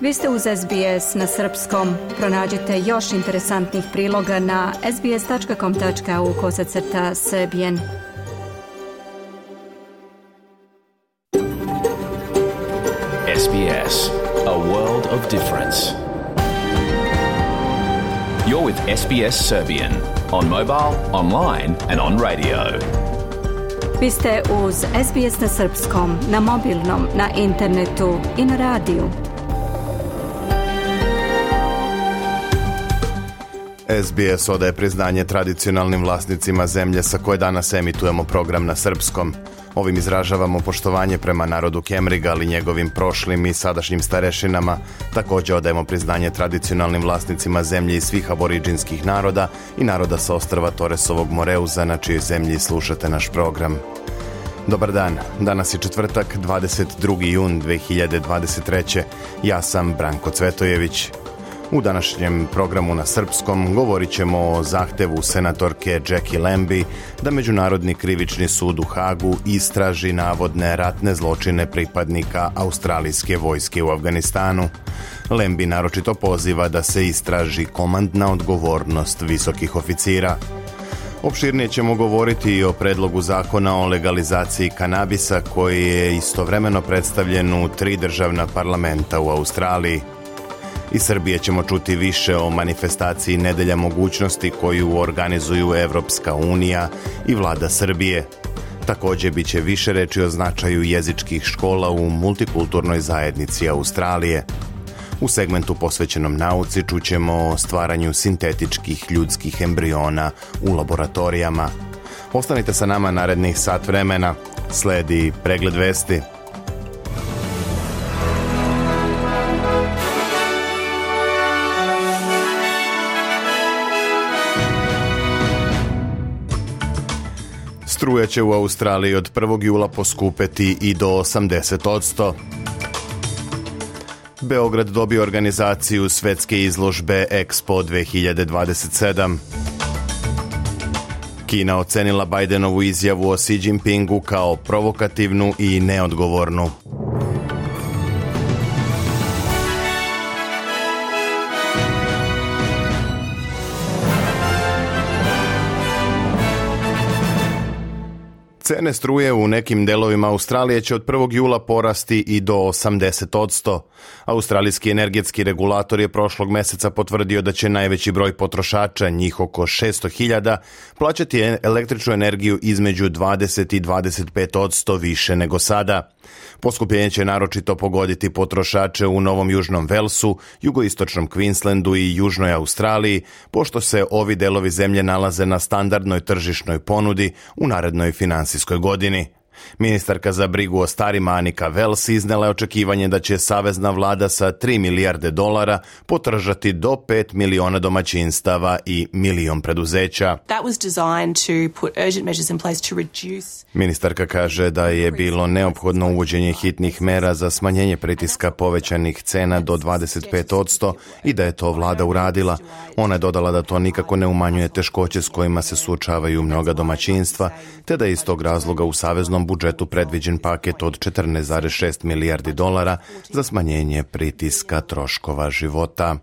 Vi ste uz SBS na srpskom. Pronađite još interesantnih priloga na sbs.com.au/serbian. SBS, a world of difference. You're with SBS Serbian on mobile, online and on radio. Vi ste uz SBS na srpskom, na mobilnom, na internetu i na radiju. SBS odaje priznanje tradicionalnim vlasnicima zemlje sa koje danas emitujemo program na srpskom. Ovim izražavamo poštovanje prema narodu Kemriga, ali njegovim prošlim i sadašnjim starešinama. Također odajemo priznanje tradicionalnim vlasnicima zemlje i svih aboriđinskih naroda i naroda sa ostrva Toresovog Moreuza, na čijoj zemlji slušate naš program. Dobar dan, danas je četvrtak, 22. jun 2023. Ja sam Branko Cvetojević. U današnjem programu na srpskom govorit ćemo o zahtevu senatorke Jackie Lambie da Međunarodni krivični sud u Hagu istraži navodne ratne zločine pripadnika australijske vojske u Afganistanu. Lambie naročito poziva da se istraži komandna odgovornost visokih oficira. Opširnije ćemo govoriti i o predlogu zakona o legalizaciji kanabisa koji je istovremeno predstavljen u 3 državna parlamenta u Australiji. Iz Srbije ćemo čuti više o manifestaciji Nedelja mogućnosti koju organizuju Evropska unija i vlada Srbije. Također bit će više reči o značaju jezičkih škola u multikulturnoj zajednici Australije. U segmentu posvećenom nauci čućemo o stvaranju sintetičkih ljudskih embriona u laboratorijama. Ostanite sa nama narednih sat vremena. Sledi pregled vesti. Struja će u Australiji od 1. jula poskupeti i do 80%. Beograd dobio organizaciju svetske izložbe Expo 2027. Kina ocenila Bidenovu izjavu o Xi Jinpingu kao provokativnu i neodgovornu. Cene struje u nekim delovima Australije će od 1. jula porasti i do 80%. Australijski energetski regulator je prošlog meseca potvrdio da će najveći broj potrošača, njih oko 600.000, plaćati električnu energiju između 20 i 25% više nego sada. Poskupljenje će naročito pogoditi potrošače u Novom Južnom Velsu, jugoistočnom Queenslandu i Južnoj Australiji, pošto se ovi delovi zemlje nalaze na standardnoj tržišnoj ponudi u narednoj finansijskoj godini. Ministarka za brigu o starima Anika Wells iznela je očekivanje da će savezna vlada sa $3 milijarde potržati do 5 miliona domaćinstava i milion preduzeća. Ministarka kaže da je bilo neophodno uvođenje hitnih mera za smanjenje pritiska povećanih cena do 25% i da je to vlada uradila. Ona je dodala da to nikako ne umanjuje teškoće s kojima se suočavaju mnoga domaćinstva, te da je iz tog razloga u saveznom budžetu predviđen paket od $14,6 milijardi za smanjenje pritiska troškova života.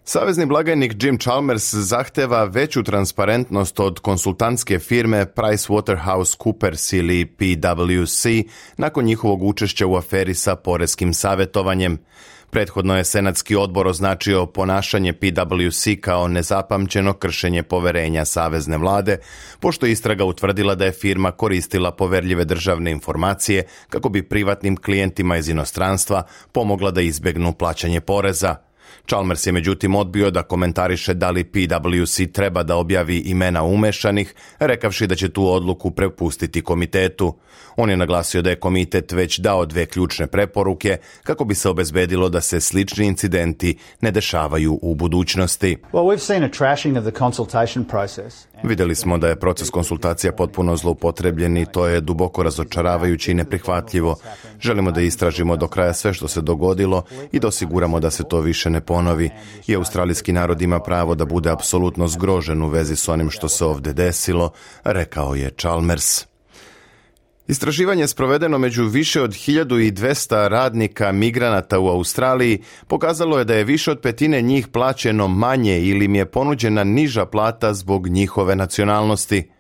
Savezni blagajnik Jim Chalmers zahteva veću transparentnost od konsultantske firme PricewaterhouseCoopers ili PwC nakon njihovog učešća u aferi sa poreskim savjetovanjem. Prethodno je Senatski odbor označio ponašanje PwC kao nezapamćeno kršenje poverenja savezne vlade, pošto je istraga utvrdila da je firma koristila poverljive državne informacije kako bi privatnim klijentima iz inostranstva pomogla da izbjegnu plaćanje poreza. Chalmers je međutim odbio da komentariše da li PwC treba da objavi imena umešanih, rekavši da će tu odluku prepustiti komitetu. On je naglasio da je komitet već dao 2 ključne preporuke kako bi se obezbedilo da se slični incidenti ne dešavaju u budućnosti. Vidjeli smo da je proces konsultacija potpuno zloupotrebljen i to je duboko razočaravajuće i neprihvatljivo. Želimo da istražimo do kraja sve što se dogodilo i da osiguramo da se to više ne ponovi. I australijski narod ima pravo da bude apsolutno zgrožen u vezi s onim što se ovdje desilo, rekao je Chalmers. Istraživanje sprovedeno među više od 1200 radnika migranata u Australiji pokazalo je da je više od petine njih plaćeno manje ili im je ponuđena niža plata zbog njihove nacionalnosti.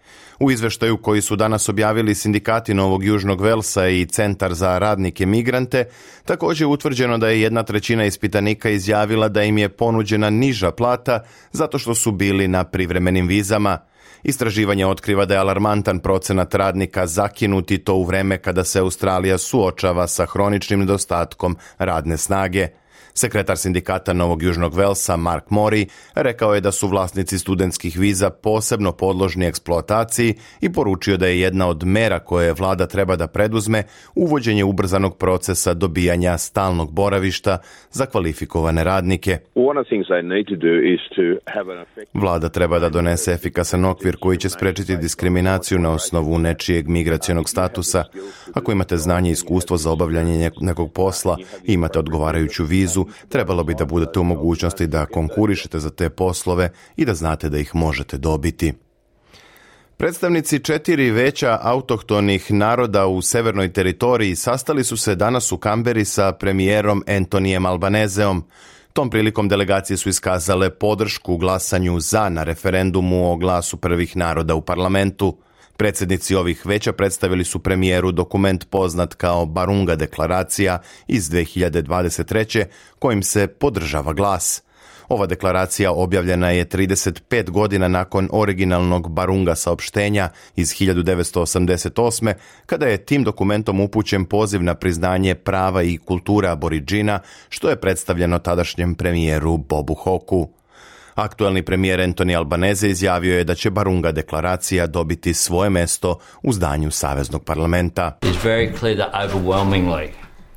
U izveštaju koji su danas objavili sindikati Novog Južnog Velsa i Centar za radnike migrante, također je utvrđeno da je 1/3 ispitanika izjavila da im je ponuđena niža plata zato što su bili na privremenim vizama. Istraživanje otkriva da je alarmantan procenat radnika zakinut i to u vreme kada se Australija suočava sa hroničnim nedostatkom radne snage. Sekretar sindikata Novog Južnog Velsa, Mark Mori, rekao je da su vlasnici studentskih viza posebno podložni eksploataciji i poručio da je jedna od mera koje vlada treba da preduzme uvođenje ubrzanog procesa dobijanja stalnog boravišta za kvalifikovane radnike. Vlada treba da donese efikasan okvir koji će sprečiti diskriminaciju na osnovu nečijeg migracionog statusa. Ako imate znanje i iskustvo za obavljanje nekog posla i imate odgovarajuću vizu, trebalo bi da budete u mogućnosti da konkurišete za te poslove i da znate da ih možete dobiti. Predstavnici 4 veća autohtonih naroda u Severnoj teritoriji sastali su se danas u Kamberi sa premijerom Antonijem Albanezeom. Tom prilikom delegacije su iskazale podršku glasanju za na referendumu o glasu prvih naroda u parlamentu. Predsjednici ovih veća predstavili su premijeru dokument poznat kao Barunga deklaracija iz 2023. kojim se podržava glas. Ova deklaracija objavljena je 35 godina nakon originalnog Barunga saopštenja iz 1988. kada je tim dokumentom upućen poziv na priznanje prava i kulture Aboriđina, što je predstavljeno tadašnjem premijeru Bobu Hawkeu. Aktuelni premijer Anthony Albanese izjavio je da će Barunga deklaracija dobiti svoje mesto u zdanju Saveznog parlamenta.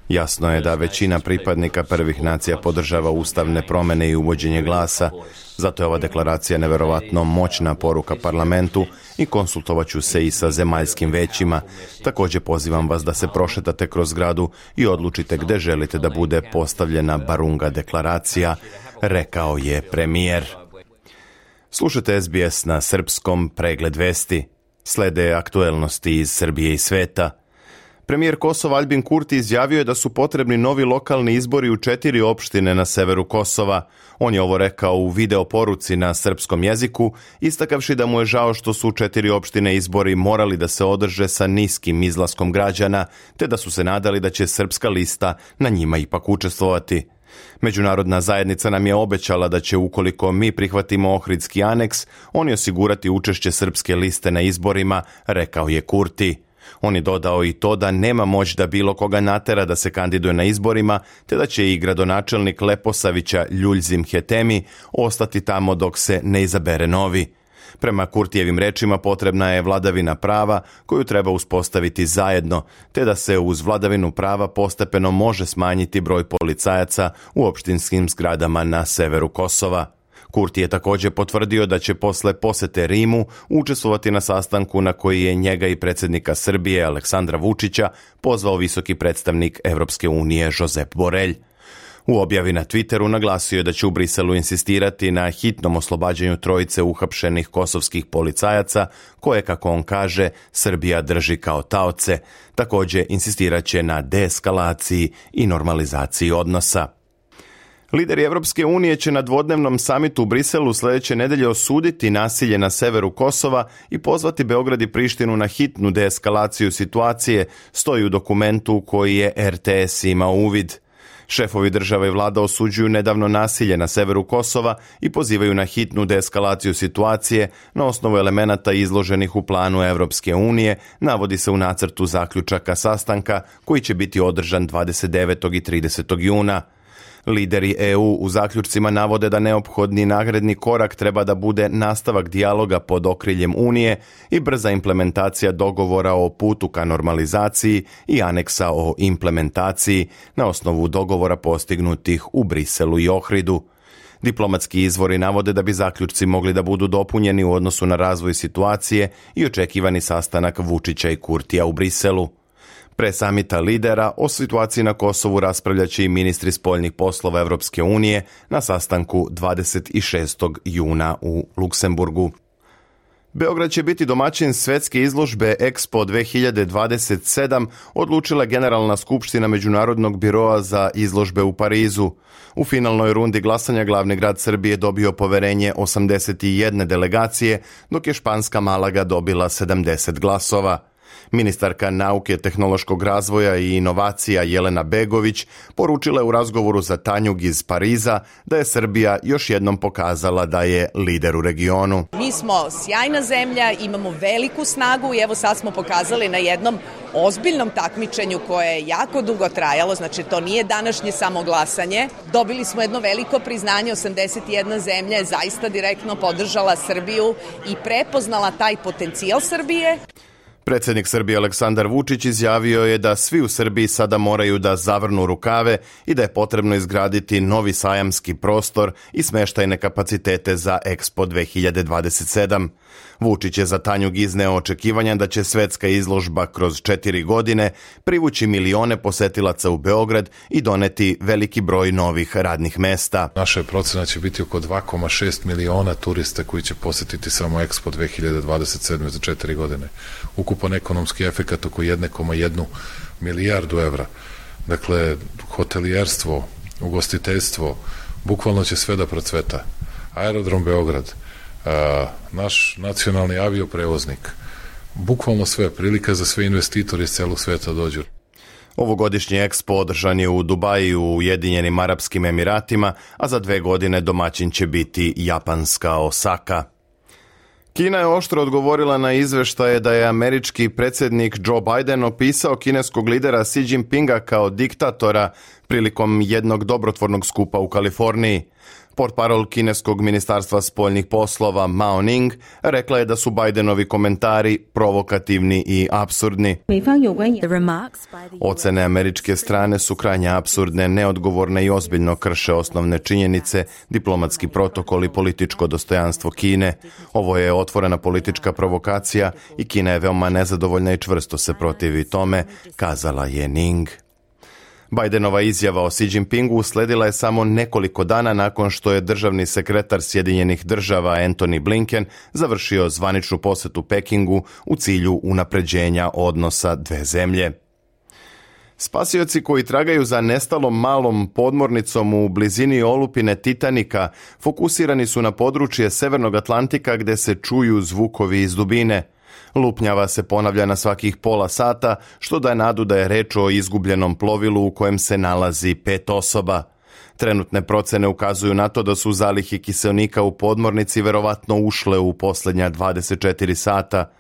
Jasno je da većina pripadnika prvih nacija podržava ustavne promjene i uvođenje glasa, zato je ova deklaracija neverovatno moćna poruka parlamentu i konsultovat ću se i sa zemaljskim većima. Također pozivam vas da se prošetate kroz zgradu i odlučite gdje želite da bude postavljena Barunga deklaracija, rekao je premijer. Slušajte SBS na srpskom, pregled vesti. Slede aktuelnosti iz Srbije i sveta. Premijer Kosova Albin Kurti izjavio je da su potrebni novi lokalni izbori u 4 opštine na severu Kosova. On je ovo rekao u video poruci na srpskom jeziku, istakavši da mu je žao što su u 4 opštine izbori morali da se održe sa niskim izlaskom građana, te da su se nadali da će srpska lista na njima ipak učestvovati. Međunarodna zajednica nam je obećala da će, ukoliko mi prihvatimo Ohridski aneks, oni osigurati učešće srpske liste na izborima, rekao je Kurti. On je dodao i to da nema moć da bilo koga natera da se kandiduje na izborima, te da će i gradonačelnik Leposavića Ljuljzim Hetemi ostati tamo dok se ne izabere novi. Prema Kurtijevim rečima potrebna je vladavina prava koju treba uspostaviti zajedno, te da se uz vladavinu prava postepeno može smanjiti broj policajaca u opštinskim zgradama na severu Kosova. Kurti je također potvrdio da će posle posete Rimu učestvovati na sastanku na koji je njega i predsjednika Srbije Aleksandra Vučića pozvao visoki predstavnik Evropske unije Josep Borrell. U objavi na Twitteru naglasio je da će u Briselu insistirati na hitnom oslobađanju trojice uhapšenih kosovskih policajaca koje, kako on kaže, Srbija drži kao taoce. Također insistirat će na deeskalaciji i normalizaciji odnosa. Lideri Evropske unije će na dvodnevnom samitu u Briselu sljedeće nedelje osuditi nasilje na severu Kosova i pozvati Beograd i Prištinu na hitnu deeskalaciju situacije, stoji u dokumentu koji je RTS imao uvid. Šefovi država i vlada osuđuju nedavno nasilje na severu Kosova i pozivaju na hitnu deeskalaciju situacije na osnovu elemenata izloženih u planu Evropske unije, navodi se u nacrtu zaključaka sastanka koji će biti održan 29. i 30. juna. Lideri EU u zaključcima navode da neophodni nagradni korak treba da bude nastavak dijaloga pod okriljem Unije i brza implementacija dogovora o putu ka normalizaciji i aneksa o implementaciji na osnovu dogovora postignutih u Briselu i Ohridu. Diplomatski izvori navode da bi zaključci mogli da budu dopunjeni u odnosu na razvoj situacije i očekivani sastanak Vučića i Kurtija u Briselu. Pre samita lidera o situaciji na Kosovu raspravljaće i ministri spoljnih poslova Evropske unije na sastanku 26. juna u Luksemburgu. Beograd će biti domaćin svetske izložbe Expo 2027, odlučila Generalna skupština Međunarodnog biroa za izložbe u Parizu. U finalnoj rundi glasanja glavni grad Srbije dobio poverenje 81 delegacije, dok je španska Malaga dobila 70 glasova. Ministarka nauke, tehnološkog razvoja i inovacija Jelena Begović poručila je u razgovoru za Tanjug iz Pariza da je Srbija još jednom pokazala da je lider u regionu. Mi smo sjajna zemlja, imamo veliku snagu i evo sad smo pokazali na jednom ozbiljnom takmičenju koje je jako dugo trajalo, znači to nije današnje samo glasanje. Dobili smo jedno veliko priznanje, 81 zemlja je zaista direktno podržala Srbiju i prepoznala taj potencijal Srbije. Predsjednik Srbije Aleksandar Vučić izjavio je da svi u Srbiji sada moraju da zavrnu rukave i da je potrebno izgraditi novi sajamski prostor i smeštajne kapacitete za Expo 2027. Vučić je za Tanjug izneo očekivanja da će svetska izložba kroz 4 godine privući milione posetilaca u Beograd i doneti veliki broj novih radnih mesta. Naša procena će biti oko 2,6 miliona turista koji će posetiti samo Expo 2027. za 4 godine. Ukupan ekonomski efekat oko 1,1 milijardu evra. Dakle, hotelijerstvo, ugostiteljstvo, bukvalno će sve da procveta. Aerodrom Beograd, naš nacionalni avioprevoznik, bukvalno sve, prilika za sve investitori iz celog sveta dođu. Ovogodišnji Expo održan je u Dubaju u Ujedinjenim Arapskim Emiratima, a za 2 godine domaćin će biti japanska Osaka. Kina je oštro odgovorila na izveštaje da je američki predsjednik Joe Biden opisao kineskog lidera Xi Jinpinga kao diktatora prilikom jednog dobrotvornog skupa u Kaliforniji. Portparol kineskog ministarstva spoljnih poslova Mao Ning rekla je da su Bidenovi komentari provokativni i apsurdni. Ocene američke strane su krajnje apsurdne, neodgovorne i ozbiljno krše osnovne činjenice, diplomatski protokol i političko dostojanstvo Kine. Ovo je otvorena politička provokacija i Kina je veoma nezadovoljna i čvrsto se protivi tome, kazala je Ning. Bidenova izjava o Xi Jinpingu usledila je samo nekoliko dana nakon što je državni sekretar Sjedinjenih država Antony Blinken završio zvaničnu posetu Pekingu u cilju unapređenja odnosa dve zemlje. Spasioci koji tragaju za nestalom malom podmornicom u blizini olupine Titanika fokusirani su na područje Severnog Atlantika gde se čuju zvukovi iz dubine. Lupnjava se ponavlja na svakih pola sata, što daje nadu da je reč o izgubljenom plovilu u kojem se nalazi 5 osoba. Trenutne procene ukazuju na to da su zalihe kiseonika u podmornici verovatno ušle u posljednja 24 sata.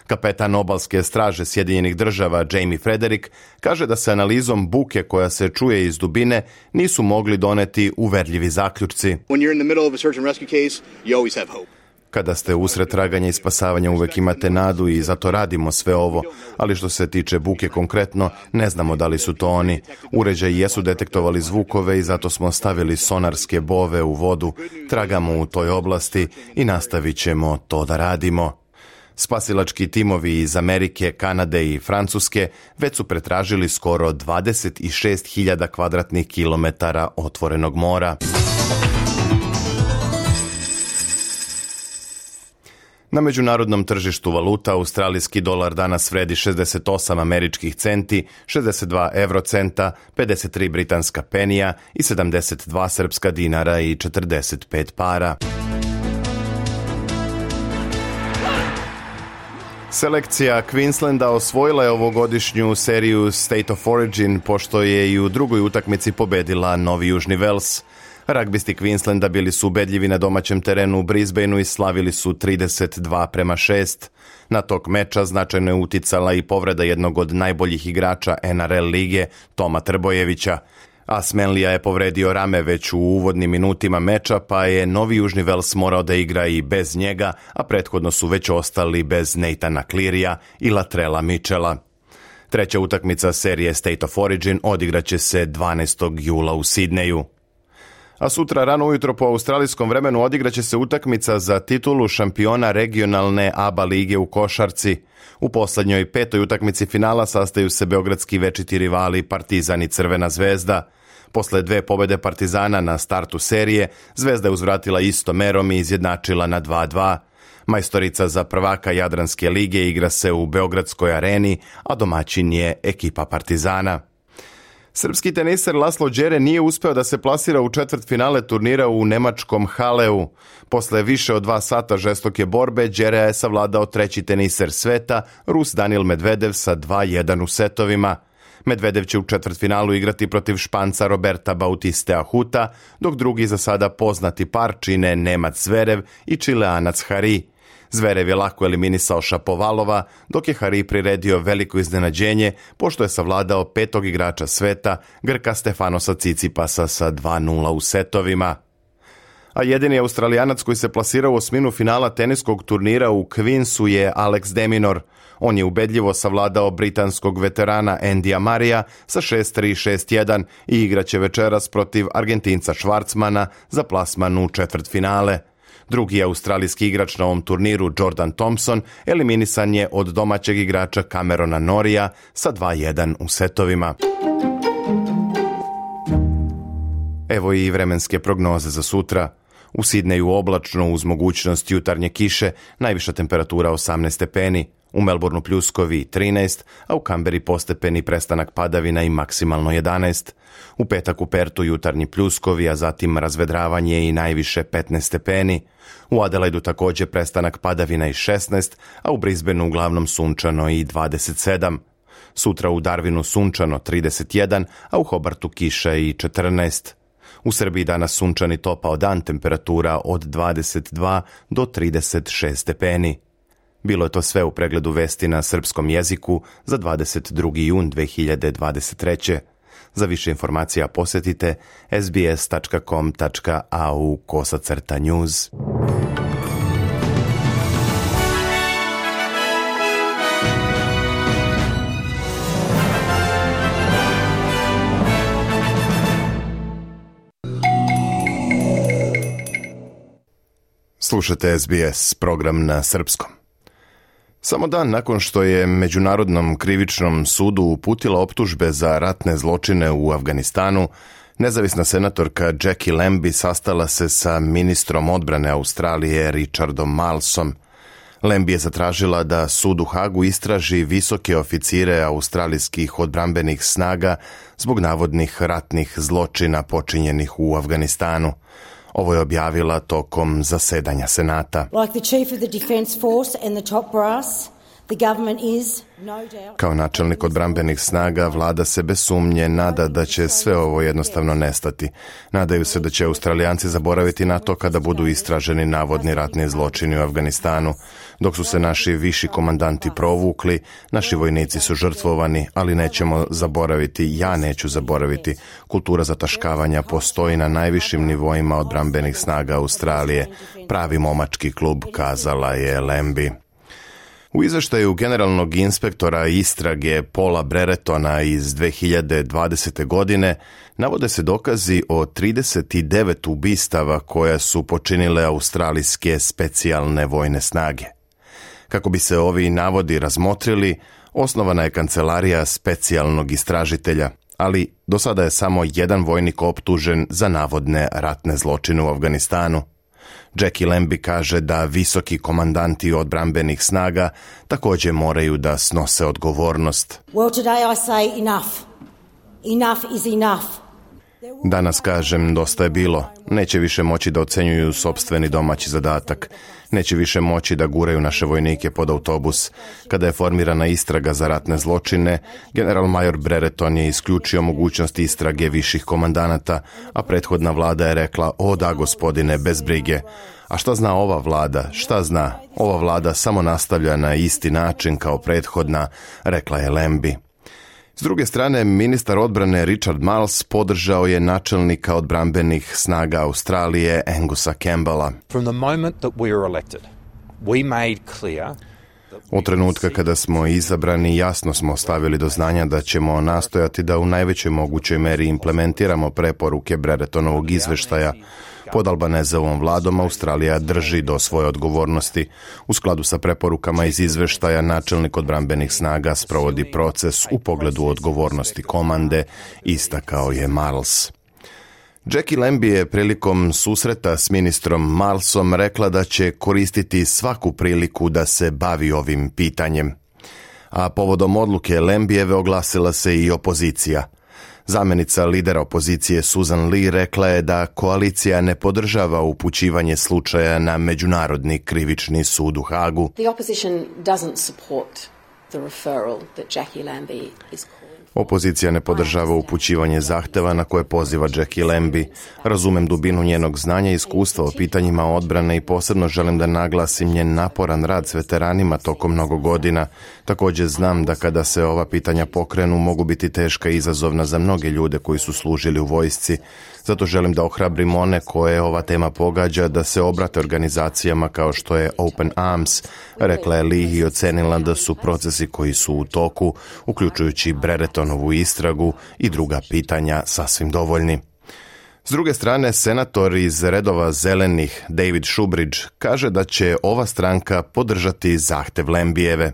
Kapetan obalske straže Sjedinjenih država Jamie Frederick kaže da se analizom buke koja se čuje iz dubine nisu mogli doneti uverljivi zaključci. Kada ste usred traganja i spasavanja uvek imate nadu i zato radimo sve ovo, ali što se tiče buke konkretno, ne znamo da li su to oni. Uređaji jesu detektovali zvukove i zato smo stavili sonarske bove u vodu, tragamo u toj oblasti i nastavit ćemo to da radimo. Spasilački timovi iz Amerike, Kanade i Francuske već su pretražili skoro 26.000 kvadratnih kilometara otvorenog mora. Na međunarodnom tržištu valuta australijski dolar danas vredi 68 američkih centi, 62 eurocenta, 53 britanska penija i 72 srpska dinara i 45 para. Selekcija Queenslanda osvojila je ovogodišnju seriju State of Origin, pošto je i u drugoj utakmici pobedila Novi Južni Vels. Ragbisti Queenslanda bili su ubedljivi na domaćem terenu u Brisbaneu i slavili su 32-6. Na tok meča značajno je uticala i povreda jednog od najboljih igrača NRL lige, Toma Trbojevića. Asmenlija je povredio rame već u uvodnim minutima meča, pa je Novi Južni Vels morao da igra i bez njega, a prethodno su već ostali bez Nathana Clearya i Latrella Mitchella. Treća utakmica serije State of Origin odigraće se 12. jula u Sidneju. A sutra rano ujutro po australijskom vremenu odigraće se utakmica za titulu šampiona regionalne ABA lige u košarci. U poslednjoj 5. utakmici finala sastaju se beogradski večiti rivali Partizan i Crvena zvezda. Posle 2 pobede Partizana na startu serije, Zvezda je uzvratila istom merom i izjednačila na 2-2. Majstorica za prvaka Jadranske lige igra se u Beogradskoj areni, a domaćin je ekipa Partizana. Srpski teniser Laslo Đere nije uspeo da se plasira u četvrtfinale turnira u nemačkom Haleu. Posle više od 2 sata žestoke borbe, Đerea je savladao treći teniser sveta, Rus Daniil Medvedev sa 2-1 u setovima. Medvedev će u četvrtfinalu igrati protiv Španca Roberta Bautiste Ahuta, dok drugi za sada poznati par čine Nemac Zverev i Čileanac Hari. Zverev je lako eliminisao Šapovalova, dok je Hari priredio veliko iznenađenje, pošto je savladao 5. igrača sveta, Grka Stefanosa Cicipasa sa 2-0 u setovima. A jedini Australijanac koji se plasirao u osminu finala teniskog turnira u Queensu je Alex de Minaur. On je ubedljivo savladao britanskog veterana Andyja Murraya sa 6-3, 6-1 i igraće večeras protiv Argentinca Schwarzmana za plasman u četvrtfinale. Drugi australijski igrač na ovom turniru, Jordan Thompson, eliminisan je od domaćeg igrača Camerona Norrija sa 2-1 u setovima. Evo i vremenske prognoze za sutra. U Sidneju oblačno uz mogućnost jutarnje kiše, najviša temperatura 18 stepeni, u Melbourneu pljuskovi 13, a u Kamberi postepeni prestanak padavina i maksimalno 11. U petak u Pertu jutarnji pljuskovi, a zatim razvedravanje i najviše 15 stepeni. U Adelaidu također prestanak padavina i 16, a u Brisbaneu uglavnom sunčano i 27. Sutra u Darwinu sunčano 31, a u Hobartu kiša i 14. U Srbiji danas sunčani topao dan, temperatura od 22 do 36 stepeni. Bilo je to sve u pregledu vesti na srpskom jeziku za 22. jun 2023. Za više informacija posjetite sbs.com.au/news. Slušate SBS, program na srpskom. Samo dan nakon što je Međunarodnom krivičnom sudu uputila optužbe za ratne zločine u Afganistanu, nezavisna senatorka Jackie Lambie sastala se sa ministrom odbrane Australije Richardom Marlesom. Lambie je zatražila da sud u Hagu istraži visoke oficire australijskih odbrambenih snaga zbog navodnih ratnih zločina počinjenih u Afganistanu. Ovo je objavila tokom zasedanja Senata. Kao načelnik odbrambenih snaga, vlada se bez sumnje nada da će sve ovo jednostavno nestati. Nadaju se da će Australijanci zaboraviti na to kada budu istraženi navodni ratni zločini u Afganistanu. Dok su se naši viši komandanti provukli, naši vojnici su žrtvovani, ali nećemo zaboraviti, ja neću zaboraviti. Kultura zataškavanja postoji na najvišim nivoima odbrambenih snaga Australije. Pravi momački klub, kazala je Lambie. U izveštaju generalnog inspektora istrage Paula Breretona iz 2020. godine navode se dokazi o 39 ubistava koja su počinile australijske specijalne vojne snage. Kako bi se ovi navodi razmotrili, osnovana je kancelarija specijalnog istražitelja, ali do sada je samo jedan vojnik optužen za navodne ratne zločine u Afganistanu. Jackie Lambie kaže da visoki komandanti odbrambenih snaga također moraju da snose odgovornost. Danas kažem, dosta je bilo. Neće više moći da ocenjuju sopstveni domaći zadatak. Neće više moći da guraju naše vojnike pod autobus. Kada je formirana istraga za ratne zločine, general major Brereton je isključio mogućnost istrage viših komandanata, a prethodna vlada je rekla, o da gospodine, bez brige. A šta zna ova vlada? Šta zna? Ova vlada samo nastavlja na isti način kao prethodna, rekla je Lambie. S druge strane, ministar odbrane Richard Marles podržao je načelnika odbrambenih snaga Australije Angusa Campbella. Od trenutka kada smo izabrani, jasno smo stavili do znanja da ćemo nastojati da u najvećoj mogućoj meri implementiramo preporuke Breretonovog izveštaja. Pod Albanezovom vladom Australija drži do svoje odgovornosti. U skladu sa preporukama iz izveštaja, načelnik odbrambenih snaga sprovodi proces u pogledu odgovornosti komande, istakao je Marles. Jackie Lambie je prilikom susreta s ministrom Marlsom rekla da će koristiti svaku priliku da se bavi ovim pitanjem. A povodom odluke Lambijeve oglasila se i opozicija. Zamjenica lidera opozicije Susan Lee rekla je da koalicija ne podržava upućivanje slučaja na Međunarodni krivični sud u Hagu. The opposition doesn't support the referral that Jackie Lambie is calling. Opozicija ne podržava upućivanje zahteva na koje poziva Jackie Lambie. Razumem dubinu njenog znanja i iskustva o pitanjima odbrane i posebno želim da naglasim njen naporan rad s veteranima tokom mnogo godina. Također znam da kada se ova pitanja pokrenu mogu biti teška i izazovna za mnoge ljude koji su služili u vojsci. Zato želim da ohrabrim one koje ova tema pogađa da se obrate organizacijama kao što je Open Arms, rekla je Lee i ocenila da su procesi koji su u toku, uključujući Breretonovu istragu i druga pitanja, sasvim dovoljni. S druge strane, senator iz redova zelenih David Shubridge kaže da će ova stranka podržati zahtev Lambijeve.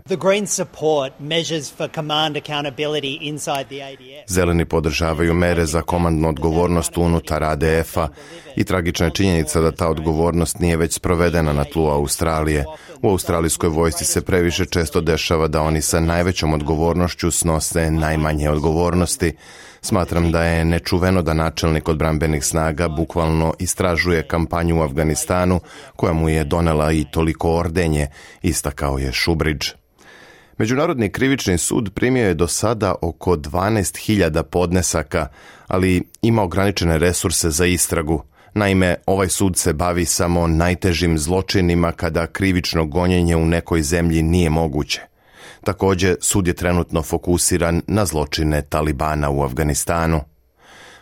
Zeleni podržavaju mere za komandnu odgovornost unutar ADF-a i tragična je činjenica da ta odgovornost nije već sprovedena na tlu Australije. U australijskoj vojsci se previše često dešava da oni sa najvećom odgovornošću snose najmanje odgovornosti. Smatram da je nečuveno da načelnik odbrambenih snaga bukvalno istražuje kampanju u Afganistanu koja mu je donela i toliko ordenje, istakao je Shubridge. Međunarodni krivični sud primio je do sada oko 12.000 podnesaka, ali ima ograničene resurse za istragu. Naime, ovaj sud se bavi samo najtežim zločinima kada krivično gonjenje u nekoj zemlji nije moguće. Također, sud je trenutno fokusiran na zločine Talibana u Afganistanu.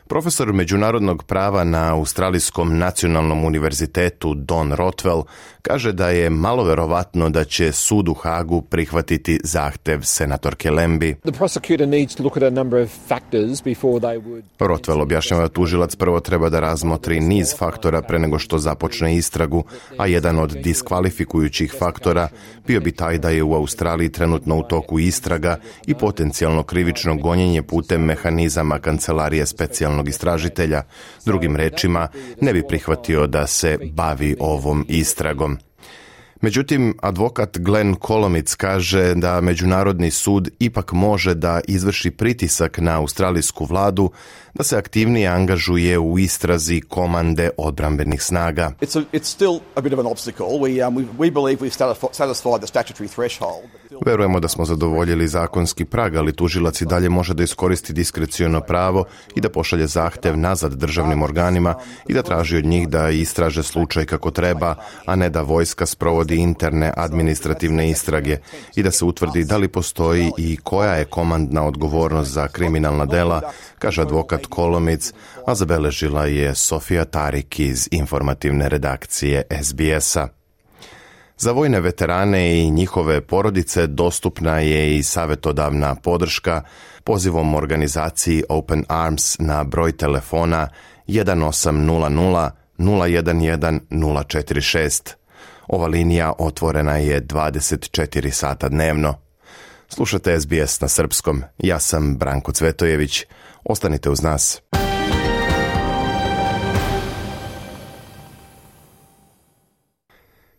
Profesor međunarodnog prava na Australijskom nacionalnom univerzitetu Don Rothwell kaže da je malo verovatno da će sud u Hagu prihvatiti zahtev senatorke Lambie. Rothwell objašnjava da tužilac prvo treba da razmotri niz faktora pre nego što započne istragu, a jedan od diskvalifikujućih faktora bio bi taj da je u Australiji trenutno u toku istraga i potencijalno krivično gonjenje putem mehanizama Kancelarije specijalnog istražitelja. Drugim rečima, ne bi prihvatio da se bavi ovom istragom. Međutim, advokat Glenn Kolomic kaže da Međunarodni sud ipak može da izvrši pritisak na australijsku vladu da se aktivnije angažuje u istrazi komande odbrambenih snaga. Verujemo da smo zadovoljili zakonski prag, ali tužilac i dalje može da iskoristi diskreciono pravo i da pošalje zahtev nazad državnim organima i da traži od njih da istraže slučaj kako treba, a ne da vojska sprovodi interne administrativne istrage i da se utvrdi da li postoji i koja je komandna odgovornost za kriminalna dela, kaže advokat Kolomic, a zabeležila je Sofija Tarik iz informativne redakcije SBS-a. Za vojne veterane i njihove porodice dostupna je i savjetodavna podrška pozivom organizaciji Open Arms na broj telefona 1800 011 046. Ova linija otvorena je 24 sata dnevno. Slušate SBS na srpskom. Ja sam Branko Cvetojević. Ostanite uz nas.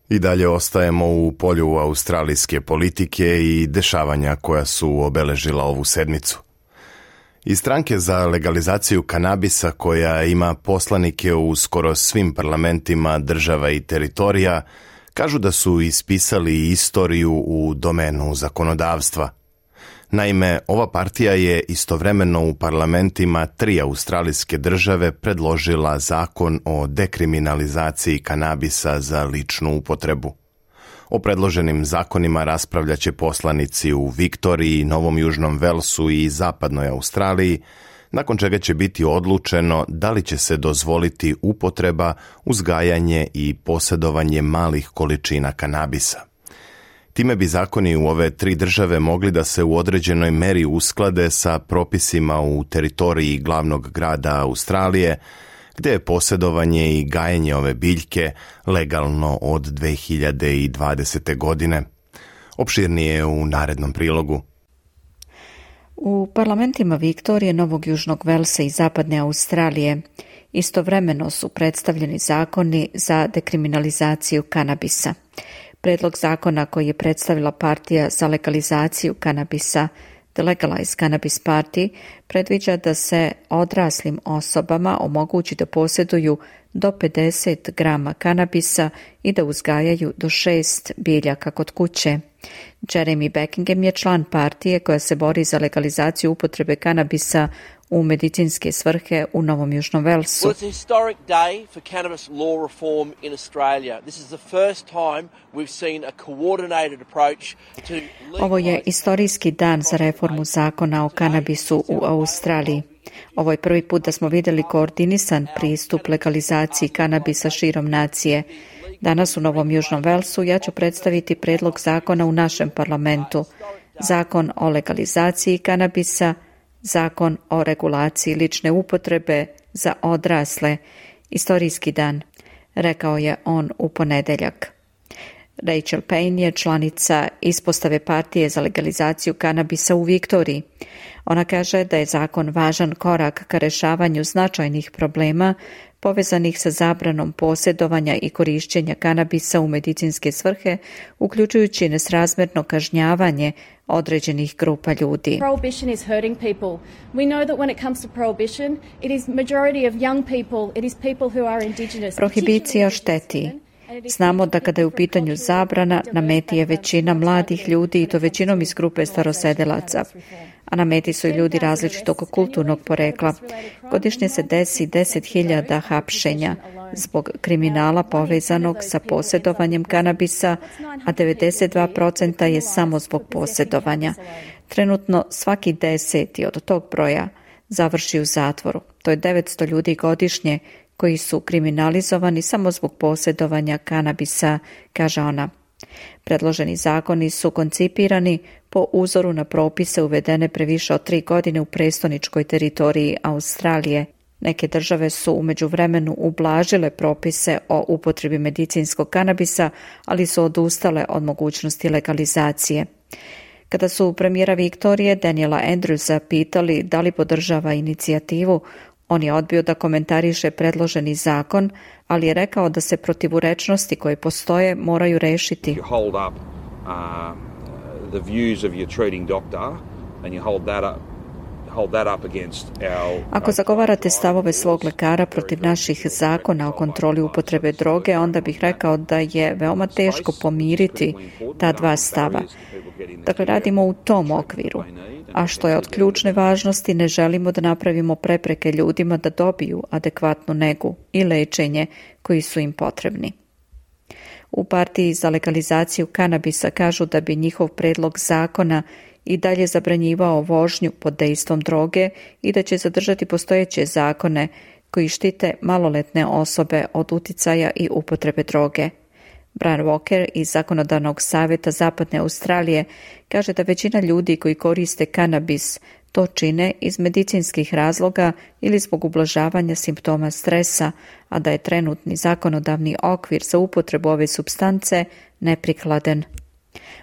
I dalje ostajemo u polju australijske politike i dešavanja koja su obeležila ovu sedmicu. Iz stranke za legalizaciju kanabisa koja ima poslanike u skoro svim parlamentima država i teritorija, kažu da su ispisali istoriju u domenu zakonodavstva. Naime, ova partija je istovremeno u parlamentima 3 australijske države predložila zakon o dekriminalizaciji kanabisa za ličnu upotrebu. O predloženim zakonima raspravljaće poslanici u Viktoriji, Novom Južnom Velsu i Zapadnoj Australiji, nakon čega će biti odlučeno da li će se dozvoliti upotreba, uzgajanje i posjedovanje malih količina kanabisa. Time bi zakoni u ove 3 države mogli da se u određenoj meri usklade sa propisima u teritoriji glavnog grada Australije, gdje je posjedovanje i gajenje ove biljke legalno od 2020. godine. Opširnije u narednom prilogu. U parlamentima Viktorije, Novog Južnog Velsa i Zapadne Australije Istovremeno su predstavljeni zakoni za dekriminalizaciju kanabisa. Predlog zakona koji je predstavila partija za legalizaciju kanabisa, The Legalized Cannabis Party, predviđa da se odraslim osobama omogući da posjeduju do 50 grama kanabisa i da uzgajaju do 6 biljaka kod kuće. Jeremy Beckingham je član partije koja se bori za legalizaciju upotrebe kanabisa u medicinske svrhe u Novom Južnom Velsu. Well, it's a historic day for cannabis law reform in Australia. This is the first time we've seen a coordinated approach to Ovo je istorijski dan za reformu zakona o kanabisu u Australiji. Ovo je prvi put da smo vidjeli koordinisan pristup legalizaciji kanabisa širom nacije. Danas u Novom Južnom Velsu ja ću predstaviti predlog zakona u našem parlamentu. Zakon o legalizaciji kanabisa, zakon o regulaciji lične upotrebe za odrasle, istorijski dan, rekao je on u ponedjeljak. Rachel Payne je članica ispostave partije za legalizaciju kanabisa u Viktoriji. Ona kaže da je zakon važan korak ka rješavanju značajnih problema povezanih sa zabranom posjedovanja i korišćenja kanabisa u medicinske svrhe, uključujući nesrazmjerno kažnjavanje određenih grupa ljudi. Prohibition is hurting people. We know that when it comes to prohibition, it is majority of young people, it is people who are indigenous. Prohibicija šteti. Znamo da kada je u pitanju zabrana, na meti je većina mladih ljudi i to većinom iz grupe starosedelaca. A na meti su i ljudi različitog kulturnog porekla. Godišnje se desi 10.000 hapšenja zbog kriminala povezanog sa posjedovanjem kanabisa, a 92% je samo zbog posjedovanja. Trenutno svaki 10. od tog broja završi u zatvoru. To je 900 ljudi godišnje koji su kriminalizovani samo zbog posjedovanja kanabisa, kaže ona. Predloženi zakoni su koncipirani po uzoru na propise uvedene pre više od 3 godine u prestoničkoj teritoriji Australije. Neke države su u međuvremenu ublažile propise o upotrebi medicinskog kanabisa, ali su odustale od mogućnosti legalizacije. Kada su premijera Viktorije Daniela Andrewsa pitali da li podržava inicijativu, on je odbio da komentariše predloženi zakon, ali je rekao da se protivurečnosti koje postoje moraju rešiti. Ako zagovarate stavove svog lekara protiv naših zakona o kontroli upotrebe droge, onda bih rekao da je veoma teško pomiriti ta dva stava. Dakle, radimo u tom okviru. A što je od ključne važnosti, ne želimo da napravimo prepreke ljudima da dobiju adekvatnu negu i lečenje koji su im potrebni. U partiji za legalizaciju kanabisa kažu da bi njihov predlog zakona i dalje zabranjivao vožnju pod dejstvom droge i da će zadržati postojeće zakone koji štite maloletne osobe od uticaja i upotrebe droge. Brian Walker iz Zakonodavnog savjeta Zapadne Australije kaže da većina ljudi koji koriste kanabis to čine iz medicinskih razloga ili zbog ublažavanja simptoma stresa, a da je trenutni zakonodavni okvir za upotrebu ove supstance neprikladan.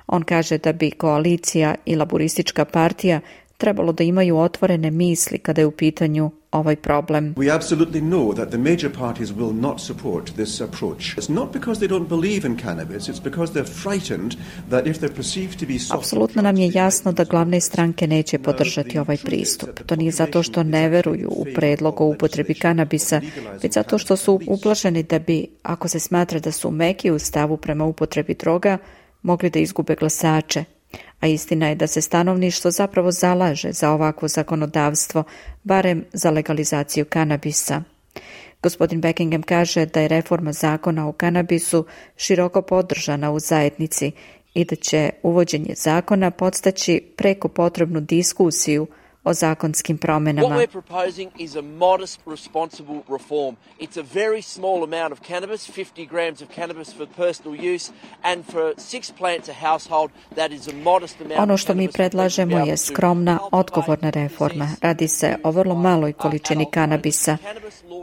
On kaže da bi koalicija i laboristička partija trebalo da imaju otvorene misli kada je u pitanju ovaj problem. We absolutely know that the major parties will not support this approach. It's not because they don't believe in cannabis, it's because they're frightened that if they're perceived to be soft. Apsolutno nam je jasno da glavne stranke neće podržati ovaj pristup. To nije zato što ne veruju u predlog o upotrebi kanabisa, već zato što su uplašeni da bi, ako se smatra da su meki u stavu prema upotrebi droga, mogli da izgube glasače. A istina je da se stanovništvo zapravo zalaže za ovakvo zakonodavstvo, barem za legalizaciju kanabisa. Gospodin Beckingham kaže da je reforma zakona o kanabisu široko podržana u zajednici i da će uvođenje zakona podstaći preko potrebnu diskusiju o zakonskim promenama. What we're proposing is a modest, responsible reform. It's a very small amount of cannabis, 50 grams of cannabis for personal use, and for 6 plants a household, that is a modest amount. Ono što mi predlažemo je skromna, odgovorna reforma. Radi se o vrlo maloj količini kanabisa.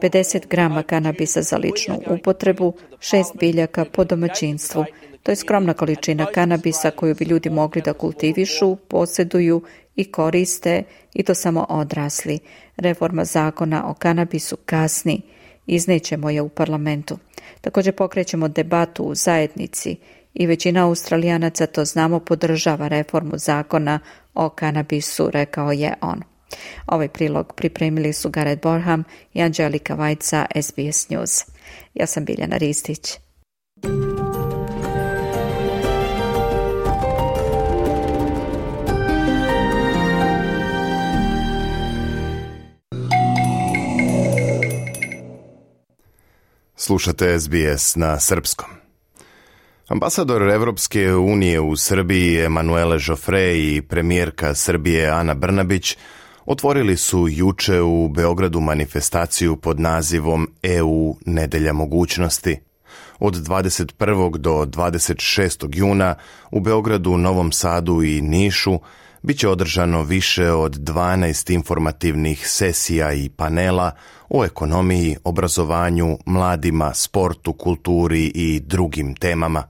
50 grama kanabisa za ličnu upotrebu, 6 biljaka po domaćinstvu. To je skromna količina kanabisa koju bi ljudi mogli da kultivišu, posjeduju i koriste, i to samo odrasli. Reforma zakona o kanabisu kasni. Iznećemo je u parlamentu. Također pokrećemo debatu u zajednici i većina Australijanaca, to znamo, podržava reformu zakona o kanabisu, rekao je on. Ovaj prilog pripremili su Gareth Borham i Anđelika Vajca, SBS News. Ja sam Biljana Ristić. Slušate SBS na srpskom. Ambasador Evropske unije u Srbiji Emanuele Joffre i premijerka Srbije Ana Brnabić otvorili su juče u Beogradu manifestaciju pod nazivom EU Nedelja mogućnosti. Od 21. do 26. juna u Beogradu, Novom Sadu i Nišu bit će održano više od 12 informativnih sesija i panela o ekonomiji, obrazovanju, mladima, sportu, kulturi i drugim temama.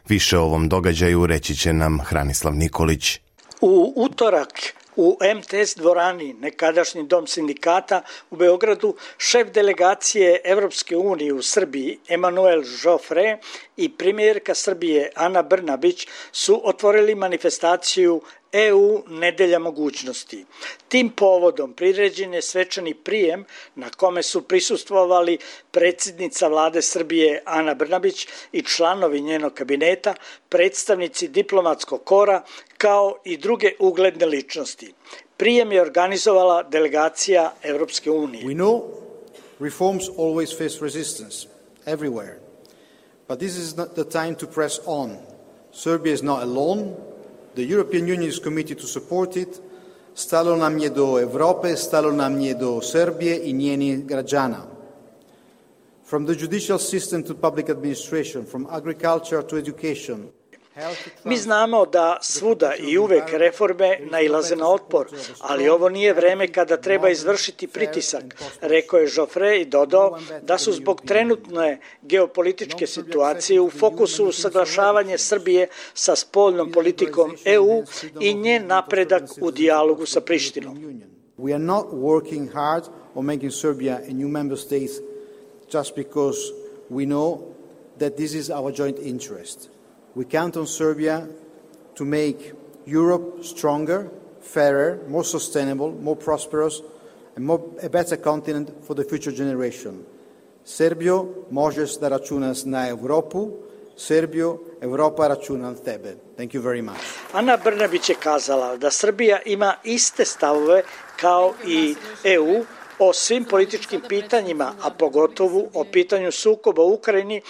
Više o ovom događaju reći će nam Hranislav Nikolić. U utorak u MTS dvorani, nekadašnji dom sindikata u Beogradu, šef delegacije Evropske unije u Srbiji Emanuel Joffre i premijerka Srbije Ana Brnabić su otvorili manifestaciju EU Nedelja mogućnosti. Tim povodom priređen je svečani prijem na kome su prisustvovali predsjednica vlade Srbije Ana Brnabić i članovi njenog kabineta, predstavnici diplomatskog kora kao i druge ugledne ličnosti. Prijem je organizovala delegacija Evropske unije. We know reforms always face resistance everywhere, but this is not the time to press on. Serbia is not alone. The European Union is committed to support it. Stalo nam je do Evrope, stalo nam je do Srbije i njenih građana. From the judicial system to public administration, from agriculture to education. Mi znamo da svuda i uvek reforme nailaze na otpor, ali ovo nije vreme kada treba izvršiti pritisak, rekao je Joffre i dodao da su zbog trenutne geopolitičke situacije u fokusu usaglašavanje Srbije sa spoljnom politikom EU i njen napredak u dijalogu sa Prištinom. We are not working hard on making Serbia a new member state just because we know that this is our joint interest. We count on Serbia to make Europe stronger, fairer, more sustainable, more prosperous, and a better continent for the future generation. Serbio, možeš da računaš na Evropu. Serbio, Evropa računa na tebe. Thank you very much. Ana Brnabić je kazala da Srbija ima iste stavove kao i EU o svim političkim pitanjima, a pogotovo o pitanju sukoba u Ukrajini,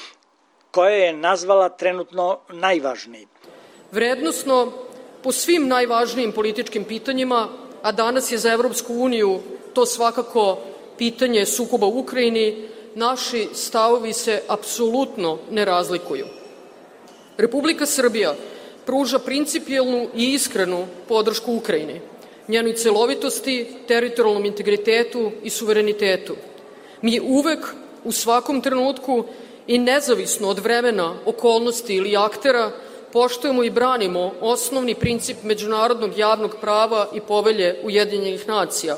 koje je nazvala trenutno najvažnijim. Vrednosno, po svim najvažnijim političkim pitanjima, a danas je za Evropsku uniju to svakako pitanje sukoba u Ukrajini, naši stavovi se apsolutno ne razlikuju. Republika Srbija pruža principijelnu i iskrenu podršku Ukrajini, njenoj celovitosti, teritorijalnom integritetu i suverenitetu. Mi uvek, u svakom trenutku i nezavisno od vremena, okolnosti ili aktera, poštujemo i branimo osnovni princip međunarodnog javnog prava i povelje Ujedinjenih nacija,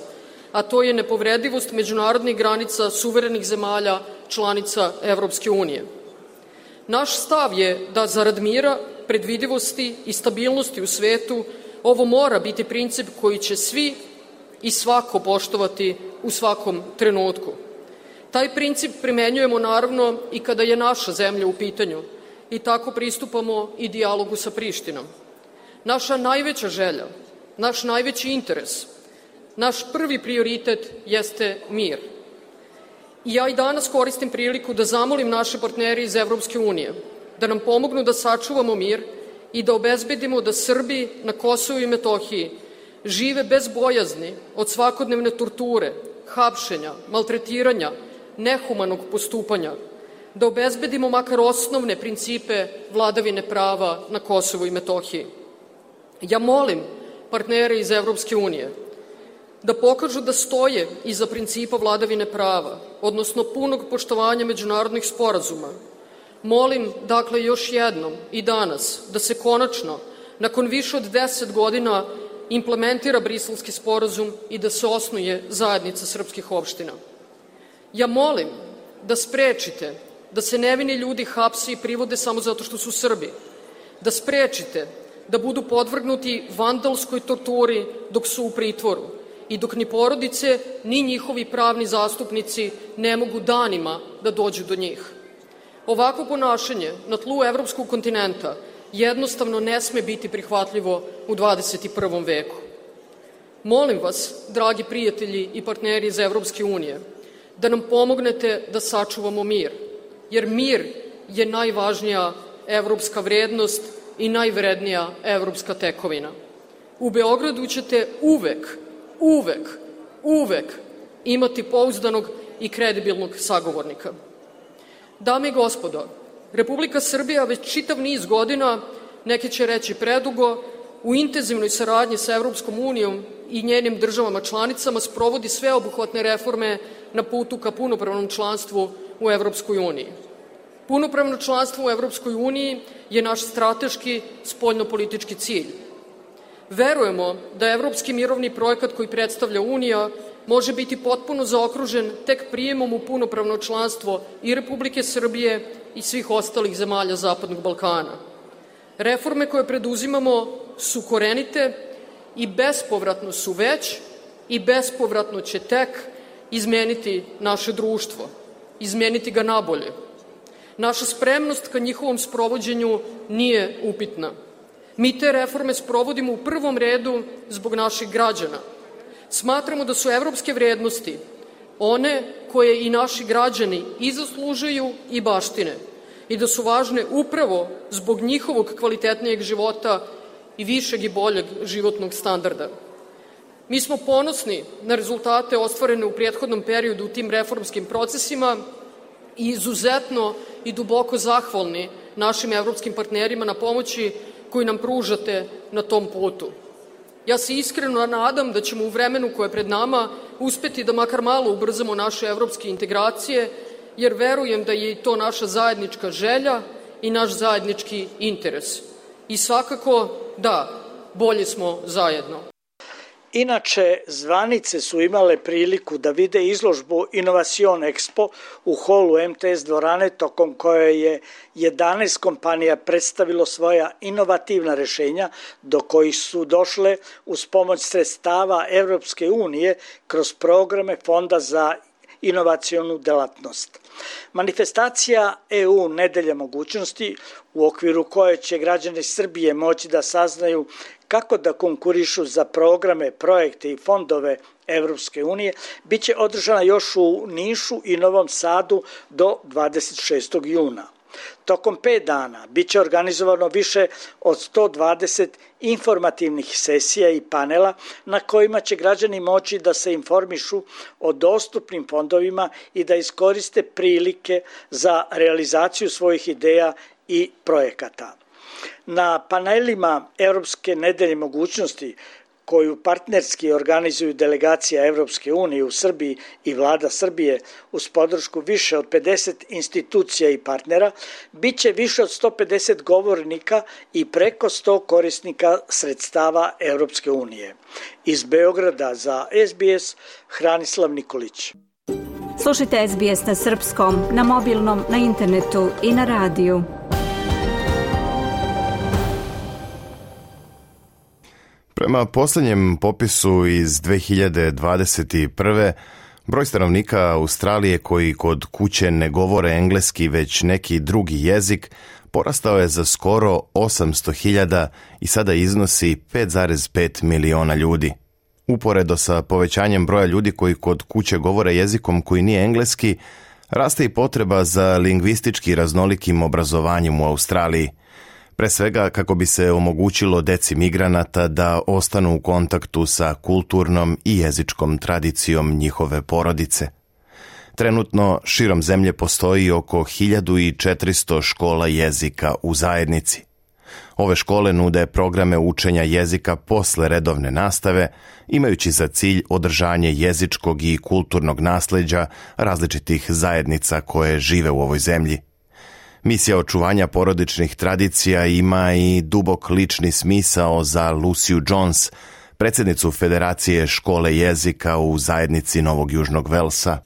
a to je nepovredivost međunarodnih granica suverenih zemalja članica Evropske unije. Naš stav je da zarad mira, predvidivosti i stabilnosti u svetu ovo mora biti princip koji će svi i svako poštovati u svakom trenutku. Taj princip primenjujemo naravno i kada je naša zemlja u pitanju i tako pristupamo i dijalogu sa Prištinom. Naša najveća želja, naš najveći interes, naš prvi prioritet jeste mir. I ja i danas koristim priliku da zamolim naše partnere iz Evropske unije da nam pomognu da sačuvamo mir i da obezbedimo da Srbi na Kosovu i Metohiji žive bez bojazni od svakodnevne torture, hapšenja, maltretiranja, nehumanog postupanja, da obezbedimo makar osnovne principe vladavine prava na Kosovu i Metohiji. Ja molim partnere iz Evropske unije da pokažu da stoje iza principa vladavine prava, odnosno punog poštovanja međunarodnih sporazuma. Molim, dakle, još jednom i danas da se konačno, nakon više od 10 godina, implementira Briselski sporazum i da se osnuje zajednica srpskih opština. Ja molim da sprečite da se nevini ljudi hapse i privode samo zato što su Srbi, da sprečite da budu podvrgnuti vandalskoj torturi dok su u pritvoru i dok ni porodice, ni njihovi pravni zastupnici ne mogu danima da dođu do njih. Ovako ponašanje na tlu evropskog kontinenta jednostavno ne sme biti prihvatljivo u 21. veku. Molim vas, dragi prijatelji i partneri iz Evropske unije, da nam pomognete da sačuvamo mir, jer mir je najvažnija evropska vrednost i najvrednija evropska tekovina. U Beogradu ćete uvek imati pouzdanog i kredibilnog sagovornika. Dame i gospodo, Republika Srbija već čitav niz godina, neki će reći predugo, u intenzivnoj saradnji sa Evropskom unijom i njenim državama članicama sprovodi sveobuhvatne reforme na putu ka punopravnom članstvu u Evropskoj uniji. Punopravno članstvo u Evropskoj uniji je naš strateški spoljnopolitički cilj. Verujemo da evropski mirovni projekat koji predstavlja Unija može biti potpuno zaokružen tek prijemom u punopravno članstvo i Republike Srbije i svih ostalih zemalja Zapadnog Balkana. Reforme koje preduzimamo su korenite i bespovratno su već i bespovratno će tek izmeniti naše društvo, izmeniti ga nabolje. Naša spremnost ka njihovom sprovođenju nije upitna. Mi te reforme sprovodimo u prvom redu zbog naših građana. Smatramo da su evropske vrednosti one koje i naši građani i zaslužuju i baštine i da su važne upravo zbog njihovog kvalitetnijeg života i višeg i boljeg životnog standarda. Mi smo ponosni na rezultate ostvarene u prethodnom periodu u tim reformskim procesima i izuzetno i duboko zahvalni našim evropskim partnerima na pomoći koju nam pružate na tom putu. Ja se iskreno nadam da ćemo u vremenu koje je pred nama uspeti da makar malo ubrzamo naše evropske integracije, jer verujem da je i to naša zajednička želja i naš zajednički interes. I svakako, da, bolje smo zajedno. Inače, zvanice su imale priliku da vide izložbu Innovation Expo u holu MTS dvorane, tokom koje je 11 kompanija predstavilo svoja inovativna rešenja do kojih su došle uz pomoć sredstava Evropske unije kroz programe Fonda za inovacionu delatnost. Manifestacija EU Nedelja mogućnosti, u okviru koje će građani Srbije moći da saznaju kako da konkurišu za programe, projekte i fondove Evropske unije, biće održana još u Nišu i Novom Sadu do 26. juna. Tokom 5 dana biće organizovano više od 120 informativnih sesija i panela na kojima će građani moći da se informišu o dostupnim fondovima i da iskoriste prilike za realizaciju svojih ideja i projekata. Na panelima Evropske nedelje mogućnosti, koju partnerski organizuju delegacija Evropske unije u Srbiji i vlada Srbije uz podršku više od 50 institucija i partnera, biće više od 150 govornika i preko 100 korisnika sredstava Evropske unije. Iz Beograda za SBS, Hranislav Nikolić. Slušajte SBS na srpskom, na mobilnom, na internetu i na radiju. Prema posljednjem popisu iz 2021. broj stanovnika Australije koji kod kuće ne govore engleski već neki drugi jezik porastao je za skoro 800.000 i sada iznosi 5,5 miliona ljudi. Uporedo sa povećanjem broja ljudi koji kod kuće govore jezikom koji nije engleski, raste i potreba za lingvistički raznolikim obrazovanjem u Australiji. Pre svega kako bi se omogućilo deci migranata da ostanu u kontaktu sa kulturnom i jezičkom tradicijom njihove porodice. Trenutno širom zemlje postoji oko 1400 škola jezika u zajednici. Ove škole nude programe učenja jezika posle redovne nastave, imajući za cilj održanje jezičkog i kulturnog nasleđa različitih zajednica koje žive u ovoj zemlji. Misija očuvanja porodičnih tradicija ima i dubok lični smisao za Luciju Jones, predsjednicu Federacije škole jezika u zajednici Novog Južnog Velsa.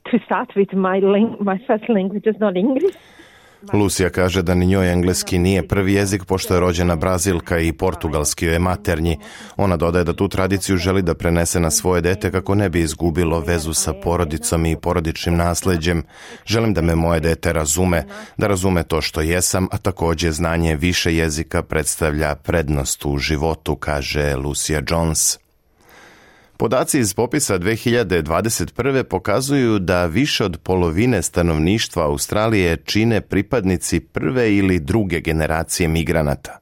Lucija kaže da ni njoj engleski nije prvi jezik, pošto je rođena Brazilka i portugalski joj je maternji. Ona dodaje da tu tradiciju želi da prenese na svoje dete kako ne bi izgubilo vezu sa porodicom i porodičnim nasleđem. Želim da me moje dete razume, da razume to što jesam, a također znanje više jezika predstavlja prednost u životu, kaže Lucia Jones. Podaci iz popisa 2021. pokazuju da više od polovine stanovništva Australije čine pripadnici prve ili druge generacije migranata.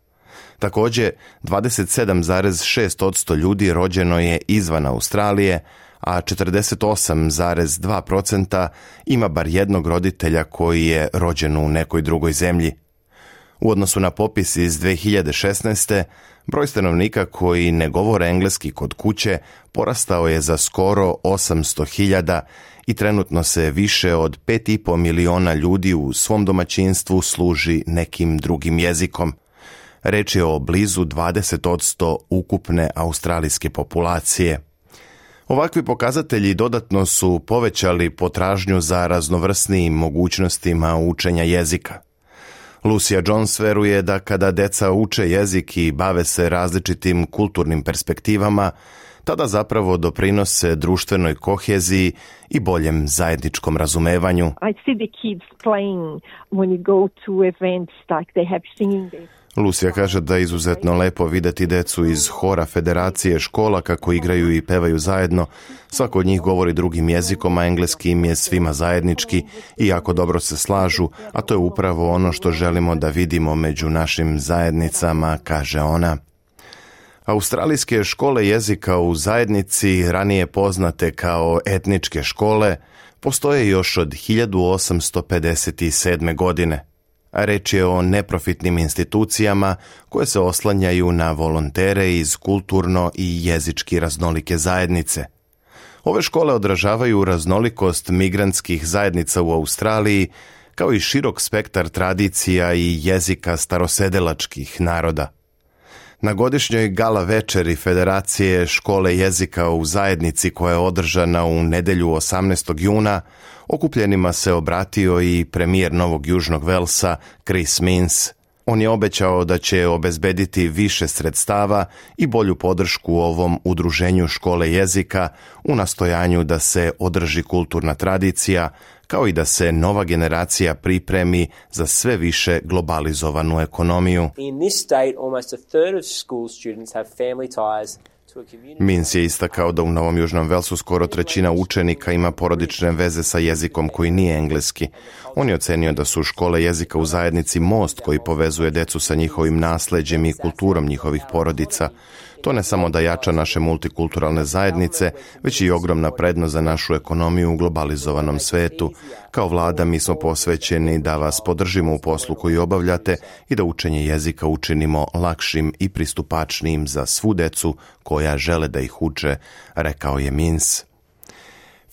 Također, 27,6% ljudi rođeno je izvan Australije, a 48,2% ima bar jednog roditelja koji je rođen u nekoj drugoj zemlji. U odnosu na popis iz 2016. broj stanovnika koji ne govore engleski kod kuće porastao je za skoro 800.000 i trenutno se više od 5,5 miliona ljudi u svom domaćinstvu služi nekim drugim jezikom. Reč je o blizu 20% ukupne australijske populacije. Ovakvi pokazatelji dodatno su povećali potražnju za raznovrsnijim mogućnostima učenja jezika. Lucia Jones veruje da kada deca uče jezik i bave se različitim kulturnim perspektivama, tada zapravo doprinose društvenoj koheziji i boljem zajedničkom razumevanju. I see the kids playing when you go to events like they have singing this. Lucija kaže da je izuzetno lepo vidjeti decu iz hora Federacije škola kako igraju i pevaju zajedno. Svako od njih govori drugim jezikom, a engleski im je svima zajednički i jako dobro se slažu, a to je upravo ono što želimo da vidimo među našim zajednicama, kaže ona. Australijske škole jezika u zajednici, ranije poznate kao etničke škole, postoje još od 1857. godine. A reč je o neprofitnim institucijama koje se oslanjaju na volontere iz kulturno i jezički raznolike zajednice. Ove škole odražavaju raznolikost migrantskih zajednica u Australiji, kao i širok spektar tradicija i jezika starosedelačkih naroda. Na godišnjoj gala večeri Federacije škole jezika u zajednici koja je održana u nedjelju 18. juna, okupljenima se obratio i premijer Novog Južnog Velsa Chris Minns. On je obećao da će obezbediti više sredstava i bolju podršku ovom udruženju škole jezika u nastojanju da se održi kulturna tradicija, kao i da se nova generacija pripremi za sve više globalizovanu ekonomiju. In this state, almost a third of school students have family ties. Minns je istakao da u Novom Južnom Velsu skoro trećina učenika ima porodične veze sa jezikom koji nije engleski. On je ocenio da su škole jezika u zajednici most koji povezuje decu sa njihovim nasleđem i kulturom njihovih porodica. To ne samo da jača naše multikulturalne zajednice, već i ogromna prednost za našu ekonomiju u globalizovanom svetu. Kao vlada mi smo posvećeni da vas podržimo u poslu koji obavljate i da učenje jezika učinimo lakšim i pristupačnijim za svu decu koja žele da ih uče, rekao je Minns.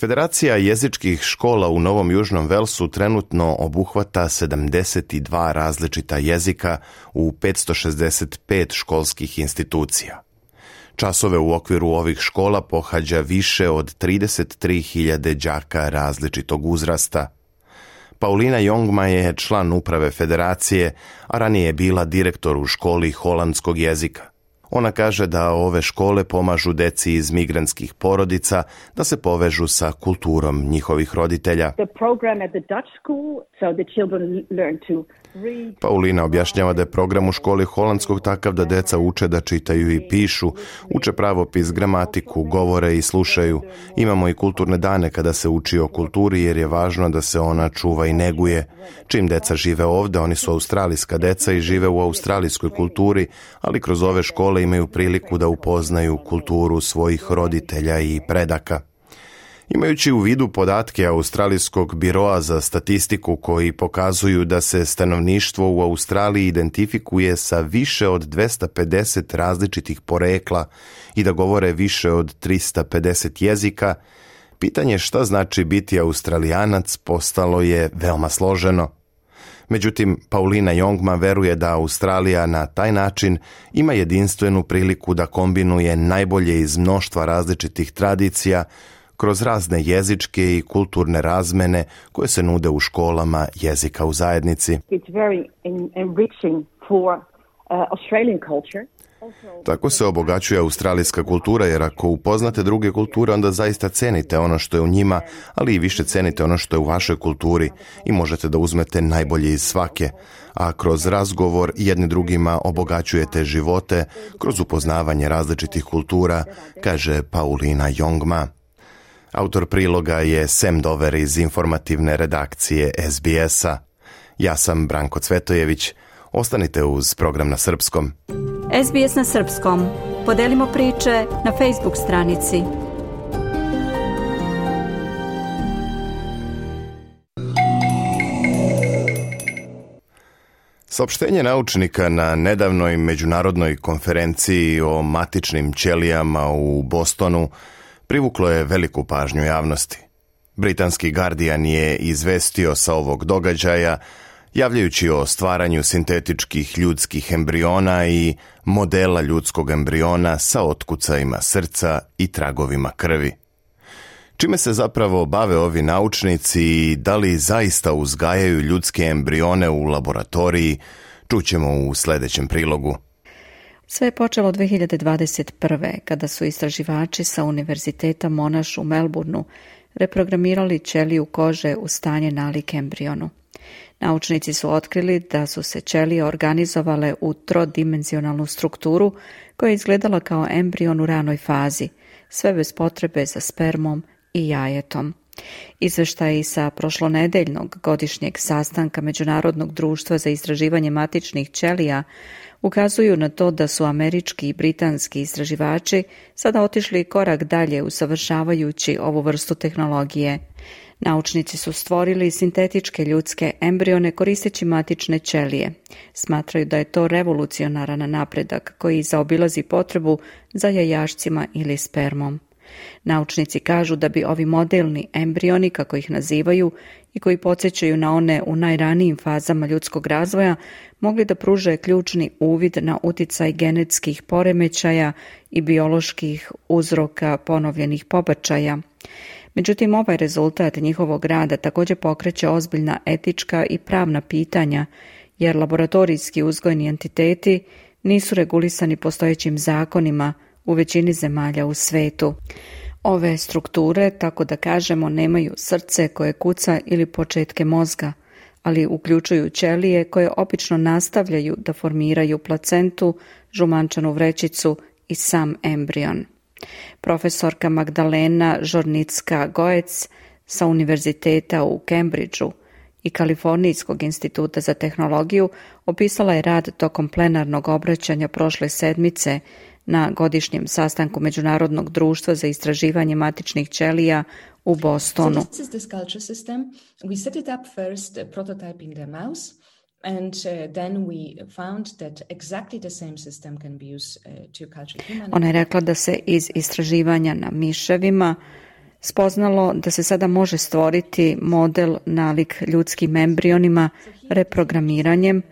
Federacija jezičkih škola u Novom Južnom Velsu trenutno obuhvata 72 različita jezika u 565 školskih institucija. Časove u okviru ovih škola pohađa više od 33.000 đaka različitog uzrasta. Paulina Jongma je član uprave Federacije, a ranije je bila direktor u školi holandskog jezika. Ona kaže da ove škole pomažu deci iz migrantskih porodica da se povežu sa kulturom njihovih roditelja. Paulina objašnjava da je program u školi holandskog takav da deca uče da čitaju i pišu, uče pravopis, gramatiku, govore i slušaju. Imamo i kulturne dane kada se uči o kulturi jer je važno da se ona čuva i neguje. Čim deca žive ovdje, oni su australijska deca i žive u australijskoj kulturi, ali kroz ove škole imaju priliku da upoznaju kulturu svojih roditelja i predaka. Imajući u vidu podatke Australijskog biroa za statistiku koji pokazuju da se stanovništvo u Australiji identifikuje sa više od 250 različitih porekla i da govore više od 350 jezika, pitanje šta znači biti Australijanac postalo je veoma složeno. Međutim, Paulina Jongma veruje da Australija na taj način ima jedinstvenu priliku da kombinuje najbolje iz mnoštva različitih tradicija kroz razne jezičke i kulturne razmene koje se nude u školama jezika u zajednici. It's very enriching for Australian culture. Tako se obogaćuje australijska kultura, jer ako upoznate druge kulture, onda zaista cenite ono što je u njima, ali i više cenite ono što je u vašoj kulturi i možete da uzmete najbolje iz svake, a kroz razgovor jedni drugima obogaćujete živote kroz upoznavanje različitih kultura, kaže Paulina Jongma. Autor priloga je Sam Dover iz informativne redakcije SBS-a. Ja sam Branko Cvetojević. Ostanite uz program na srpskom. SBS na srpskom. Podelimo priče na Facebook stranici. Saopštenje naučnika na nedavnoj međunarodnoj konferenciji o matičnim ćelijama u Bostonu privuklo je veliku pažnju javnosti. Britanski Guardian je izvestio sa ovog događaja javljajući o stvaranju sintetičkih ljudskih embriona i modela ljudskog embriona sa otkucajima srca i tragovima krvi. Čime se zapravo bave ovi naučnici i da li zaista uzgajaju ljudske embrione u laboratoriji, čućemo u sljedećem prilogu. Sve je počelo 2021. kada su istraživači sa Univerziteta Monash u Melbourneu reprogramirali ćeliju kože u stanje nalik embrionu. Naučnici su otkrili da su se ćelije organizovale u trodimenzionalnu strukturu koja je izgledala kao embrion u ranoj fazi, sve bez potrebe za spermom i jajetom. Izveštaji sa prošlonedeljnog godišnjeg sastanka Međunarodnog društva za istraživanje matičnih ćelija ukazuju na to da su američki i britanski istraživači sada otišli korak dalje usavršavajući ovu vrstu tehnologije. Naučnici su stvorili sintetičke ljudske embrione koristeći matične ćelije. Smatraju da je to revolucionaran napredak koji zaobilazi potrebu za jajašcima ili spermom. Naučnici kažu da bi ovi modelni embrioni, kako ih nazivaju, i koji podsjećaju na one u najranijim fazama ljudskog razvoja, mogli da pruže ključni uvid na uticaj genetskih poremećaja i bioloških uzroka ponovljenih pobačaja. Međutim, ovaj rezultat njihovog rada također pokreće ozbiljna etička i pravna pitanja, jer laboratorijski uzgojni entiteti nisu regulisani postojećim zakonima u većini zemalja u svetu. Ove strukture, tako da kažemo, nemaju srce koje kuca ili početke mozga, ali uključuju ćelije koje obično nastavljaju da formiraju placentu, žumančanu vrećicu i sam embrion. Profesorka Magdalena Žornicka-Goec sa Univerziteta u Cambridgeu i Kalifornijskog instituta za tehnologiju opisala je rad tokom plenarnog obraćanja prošle sedmice na godišnjem sastanku Međunarodnog društva za istraživanje matičnih ćelija u Bostonu. And then we found that exactly the same system can be used to culture human. Ona je rekla da se iz istraživanja na miševima spoznalo da se sada može stvoriti model nalik ljudskim embrionima reprogramiranjem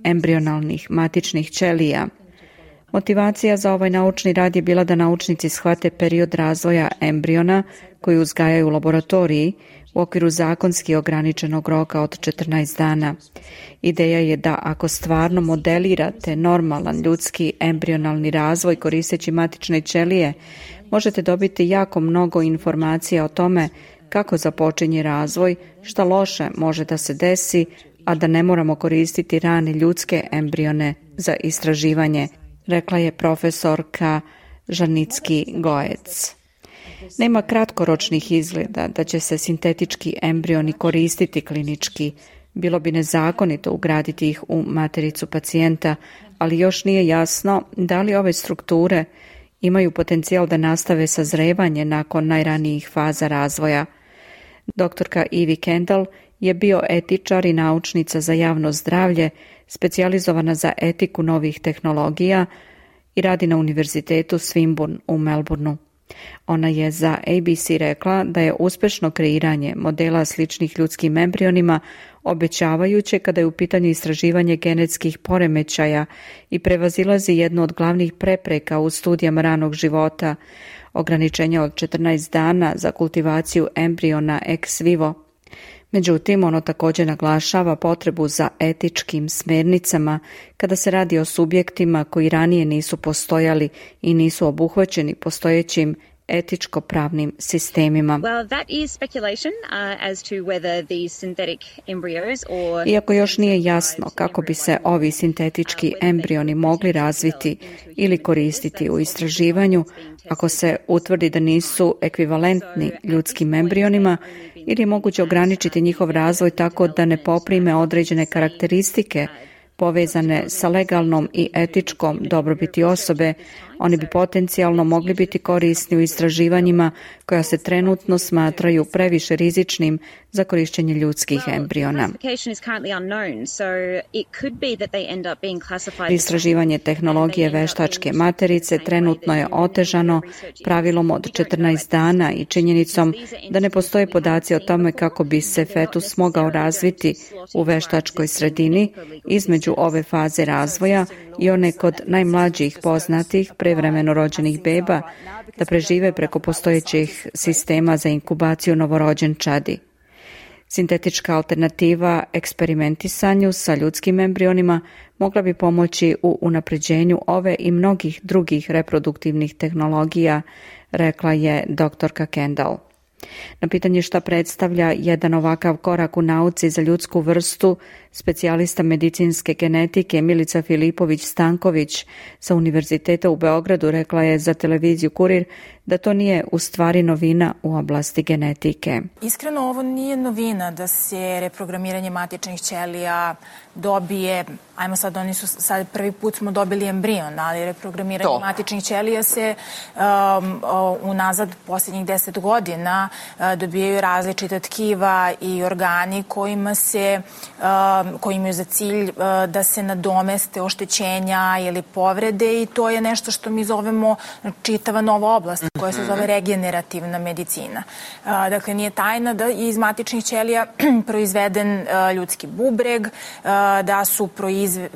embrionalnih matičnih ćelija. Motivacija za ovaj naučni rad je bila da naučnici shvate period razvoja embriona koji uzgajaju u laboratoriji u okviru zakonski ograničenog roka od 14 dana. Ideja je da ako stvarno modelirate normalan ljudski embrionalni razvoj koristeći matične ćelije, možete dobiti jako mnogo informacija o tome kako započinje razvoj, šta loše može da se desi, a da ne moramo koristiti rane ljudske embrione za istraživanje, rekla je profesorka Žarnicki-Goec. Nema kratkoročnih izgleda da će se sintetički embrioni koristiti klinički. Bilo bi nezakonito ugraditi ih u matericu pacijenta, ali još nije jasno da li ove strukture imaju potencijal da nastave sazrevanje nakon najranijih faza razvoja. Doktorka Ivy Kendall je bioetičar i naučnica za javno zdravlje, specijalizovana za etiku novih tehnologija i radi na Univerzitetu Swinburne u Melbourneu. Ona je za ABC rekla da je uspešno kreiranje modela sličnih ljudskim embrionima obećavajuće kada je u pitanju istraživanje genetskih poremećaja i prevazilazi jednu od glavnih prepreka u studijama ranog života, ograničenja od 14 dana za kultivaciju embriona ex vivo. Međutim, ono također naglašava potrebu za etičkim smernicama kada se radi o subjektima koji ranije nisu postojali i nisu obuhvaćeni postojećim etičko-pravnim sistemima. Iako još nije jasno kako bi se ovi sintetički embrioni mogli razviti ili koristiti u istraživanju, ako se utvrdi da nisu ekvivalentni ljudskim embrionima, ili je moguće ograničiti njihov razvoj tako da ne poprime određene karakteristike povezane sa legalnom i etičkom dobrobiti osobe, oni bi potencijalno mogli biti korisni u istraživanjima koja se trenutno smatraju previše rizičnim za korištenje ljudskih embriona. Istraživanje tehnologije veštačke materice trenutno je otežano pravilom od 14 dana i činjenicom da ne postoje podaci o tome kako bi se fetus mogao razviti u veštačkoj sredini između ove faze razvoja i one kod najmlađih poznatih prevremeno rođenih beba da prežive preko postojećih sistema za inkubaciju novorođenčadi. Sintetička alternativa eksperimentisanju sa ljudskim embrionima mogla bi pomoći u unapređenju ove i mnogih drugih reproduktivnih tehnologija, rekla je doktorka Kendall. Na pitanje šta predstavlja jedan ovakav korak u nauci za ljudsku vrstu, specijalista medicinske genetike Milica Filipović-Stanković sa Univerziteta u Beogradu rekla je za televiziju Kurir da to nije u stvari novina u oblasti genetike. Iskreno, ovo nije novina da se reprogramiranje matičnih ćelija dobije, ajmo sad, sad prvi put smo dobili embrion, ali reprogramiranje matičnih ćelija se unazad posljednjih 10 godina dobijaju različita tkiva i organi koji imaju za cilj da se nadomeste oštećenja ili povrede i to je nešto što mi zovemo čitava nova oblast koja se zove regenerativna medicina. Dakle, nije tajna da je iz matičnih ćelija proizveden ljudski bubreg, da su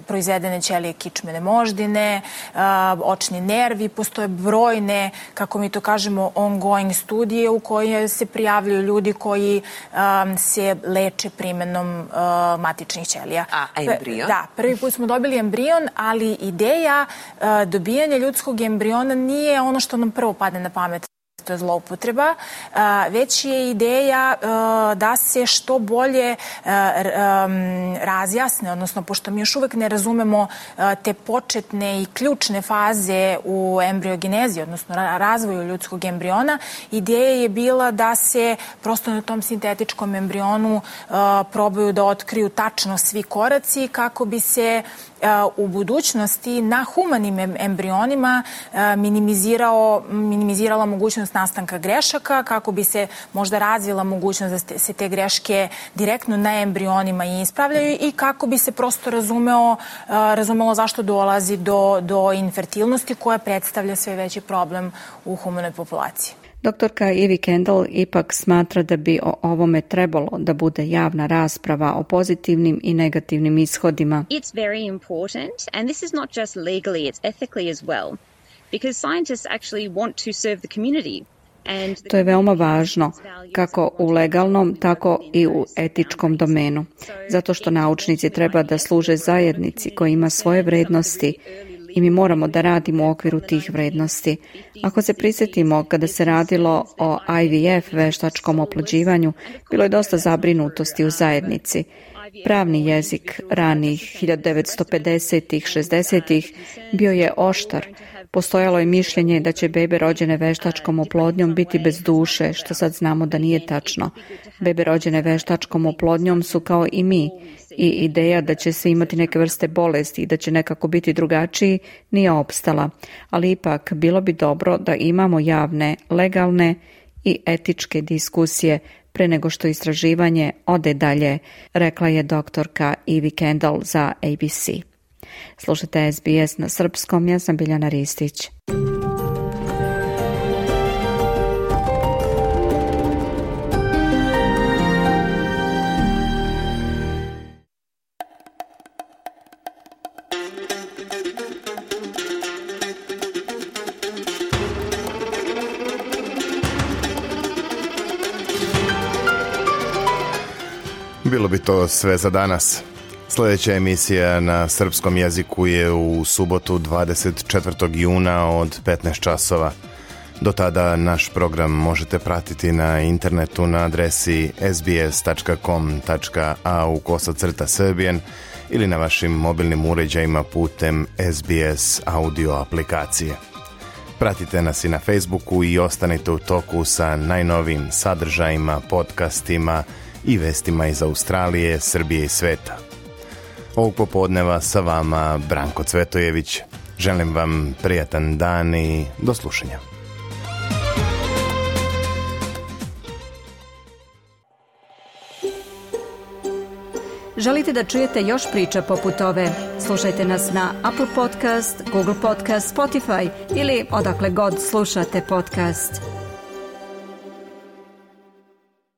proizvedene ćelije kičmene moždine, očni nervi, postoje brojne, kako mi to kažemo, ongoing studije u koje se prijavljuju ljudi koji se leče primenom matičnih ćelija. A embrion? Da, prvi put smo dobili embrion, ali ideja dobijanja ljudskog embriona nije ono što nam prvo padne na pamet. To je zloupotreba, već je ideja da se što bolje razjasne, odnosno pošto mi još uvek ne razumemo te početne i ključne faze u embriogenezi, odnosno razvoju ljudskog embriona, ideja je bila da se prosto na tom sintetičkom embrionu probaju da otkriju tačno svi koraci kako bi se u budućnosti na humanim embrionima minimizirala mogućnost nastanka grešaka, kako bi se možda razvila mogućnost da se te greške direktno na embrionima i ispravljaju i kako bi se prosto razumelo zašto dolazi do infertilnosti koja predstavlja sve veći problem u humanoj populaciji. Doktorka Ivy Kendall ipak smatra da bi o ovome trebalo da bude javna rasprava o pozitivnim i negativnim ishodima. It's very important, and this is not just legally, it's ethically as well, because scientists actually want to serve the community. To je veoma važno, kako u legalnom, tako i u etičkom domenu, zato što naučnici treba da služe zajednici koja ima svoje vrednosti i mi moramo da radimo u okviru tih vrednosti. Ako se prisjetimo kada se radilo o IVF, veštačkom oplođivanju, bilo je dosta zabrinutosti u zajednici. Pravni jezik ranih 1950-ih, 60-ih bio je oštar. Postojalo je mišljenje da će bebe rođene veštačkom oplodnjom biti bez duše, što sad znamo da nije tačno. Bebe rođene veštačkom oplodnjom su kao i mi i ideja da će se imati neke vrste bolesti i da će nekako biti drugačiji nije opstala. Ali ipak bilo bi dobro da imamo javne, legalne i etičke diskusije pre nego što istraživanje ode dalje, rekla je doktorka Ivy Kendall za ABC. Slušajte SBS na srpskom, ja sam Biljana Ristić. bilo bi to sve za danas. Sljedeća emisija na srpskom jeziku je u subotu 24. juna od 15 časova. Do tada naš program možete pratiti na internetu na adresi sbs.com.au/Serbian ili na vašim mobilnim uređajima putem SBS audio aplikacije. Pratite nas i na Facebooku i ostanite u toku sa najnovijim sadržajima, podcastima i vestima iz Australije, Srbije i sveta. Ovog popodneva sa vama Branko Cvetojević. Želim vam prijatan dan i do slušanja. Želite da čujete još priča poput ove? Slušajte nas na Apple Podcast, Google Podcast, Spotify ili odakle god slušate podcast.